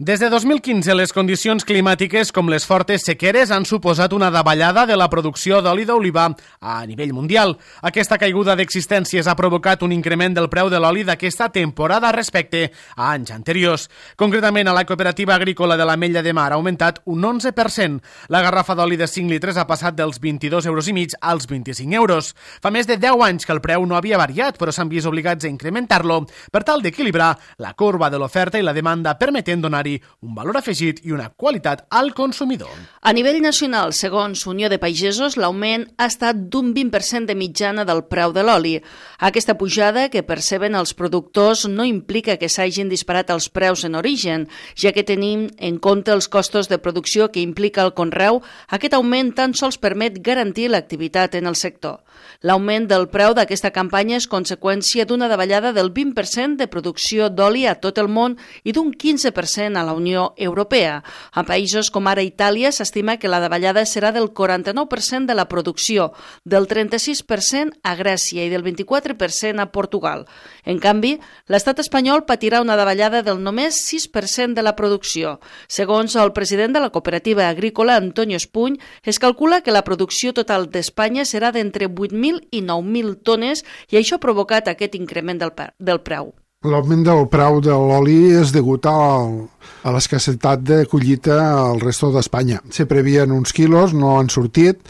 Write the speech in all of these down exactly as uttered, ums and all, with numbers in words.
Des de dos mil quinze, les condicions climàtiques com les fortes sequeres han suposat una davallada de la producció d'oli d'oliva a nivell mundial. Aquesta caiguda d'existències ha provocat un increment del preu de l'oli d'aquesta temporada respecte a anys anteriors. Concretament, a la cooperativa agrícola de l'Ametlla de Mar ha augmentat un onze per cent. La garrafa d'oli de cinc litres ha passat dels vint-i-dos euros i mig als vint-i-cinc euros. Fa més de deu anys que el preu no havia variat, però s'han vist obligats a incrementar-lo per tal d'equilibrar la corba de l'oferta i la demanda, permetent donar un valor afegit i una qualitat al consumidor. A nivell nacional, segons Unió de Pagesos, l'augment ha estat d'un vint per cent de mitjana del preu de l'oli. Aquesta pujada que perceben els productors no implica que s'hagin disparat els preus en origen, ja que tenim en compte els costos de producció que implica el conreu. Aquest augment tan sols permet garantir l'activitat en el sector. L'augment del preu d'aquesta campanya és conseqüència d'una davallada del vint per cent de producció d'oli a tot el món i d'un quinze per cent a la Unió Europea. A països com ara Itàlia s'estima que la davallada serà del quaranta-nou per cent de la producció, del trenta-sis per cent a Grècia i del vint-i-quatre per cent a Portugal. En canvi, l'estat espanyol patirà una davallada del només sis per cent de la producció. Segons el president de la cooperativa agrícola, Antonio Espuny, es calcula que la producció total d'Espanya serà d'entre vuit mil i nou mil tones i això ha provocat aquest increment del, del preu. L'augment del preu de l'oli és degut a, a l'escassetat de collita al resto d'Espanya. Se previen uns quilos, no han sortit,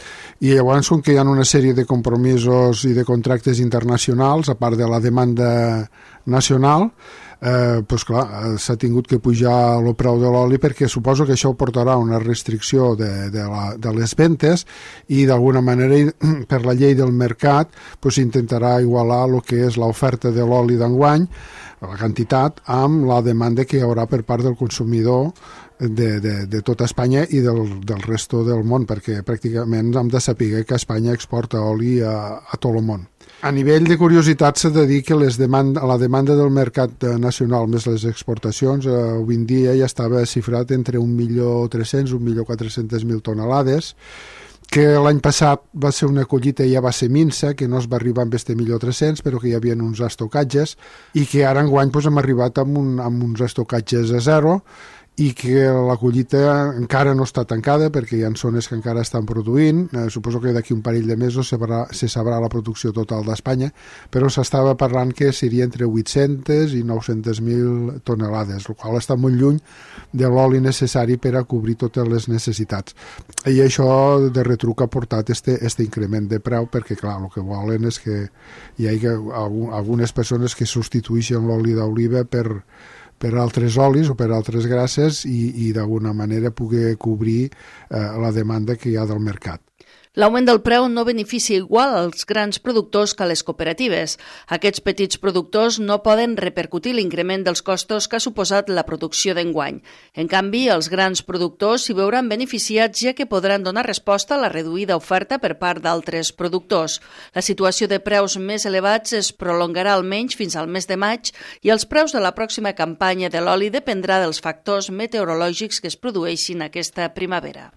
i llavors, com que hi ha una sèrie de compromisos i de contractes internacionals, a part de la demanda nacional, eh, doncs clar, s'ha tingut que pujar el preu de l'oli perquè suposo que això portarà una restricció de, de, la, de les ventes i d'alguna manera per la llei del mercat doncs intentarà igualar el que és l'oferta de l'oli d'enguany, la quantitat, amb la demanda que hi haurà per part del consumidor de, de, de tota Espanya i del, del resto del món, perquè pràcticament hem de saber que Espanya exporta oli a, a tot el món. A nivell de curiositat s'ha de dir que les demanda, la demanda del mercat nacional més les exportacions eh, avui en dia ja estava xifrat entre un milió tres-cents i un milió quatre-cents mil tonelades, que l'any passat va ser una collita i ja va ser minsa, que no es va arribar amb este milió tres-cents, però que hi havia uns estocatges, i que ara enguany doncs, hem arribat amb, un, amb uns estocatges a zero, i que la collita encara no està tancada perquè hi ha zones que encara estan produint. Eh, suposo que d'aquí un parell de mesos se sabrà, se sabrà la producció total d'Espanya, però s'estava parlant que seria entre vuit-centes i nou-centes mil tonelades, el qual està molt lluny de l'oli necessari per a cobrir totes les necessitats. I això de retruc ha portat este, este increment de preu perquè, clar, el que volen és que hi hagi algunes persones que substitueixen l'oli d'oliva per per altres olis o per altres grasses i, i d'alguna manera poder cobrir eh, la demanda que hi ha del mercat. L'augment del preu no beneficia igual als grans productors que a les cooperatives. Aquests petits productors no poden repercutir l'increment dels costos que ha suposat la producció d'enguany. En canvi, els grans productors s'hi veuran beneficiats ja que podran donar resposta a la reduïda oferta per part d'altres productors. La situació de preus més elevats es prolongarà almenys fins al mes de maig i els preus de la pròxima campanya de l'oli dependrà dels factors meteorològics que es produeixin aquesta primavera.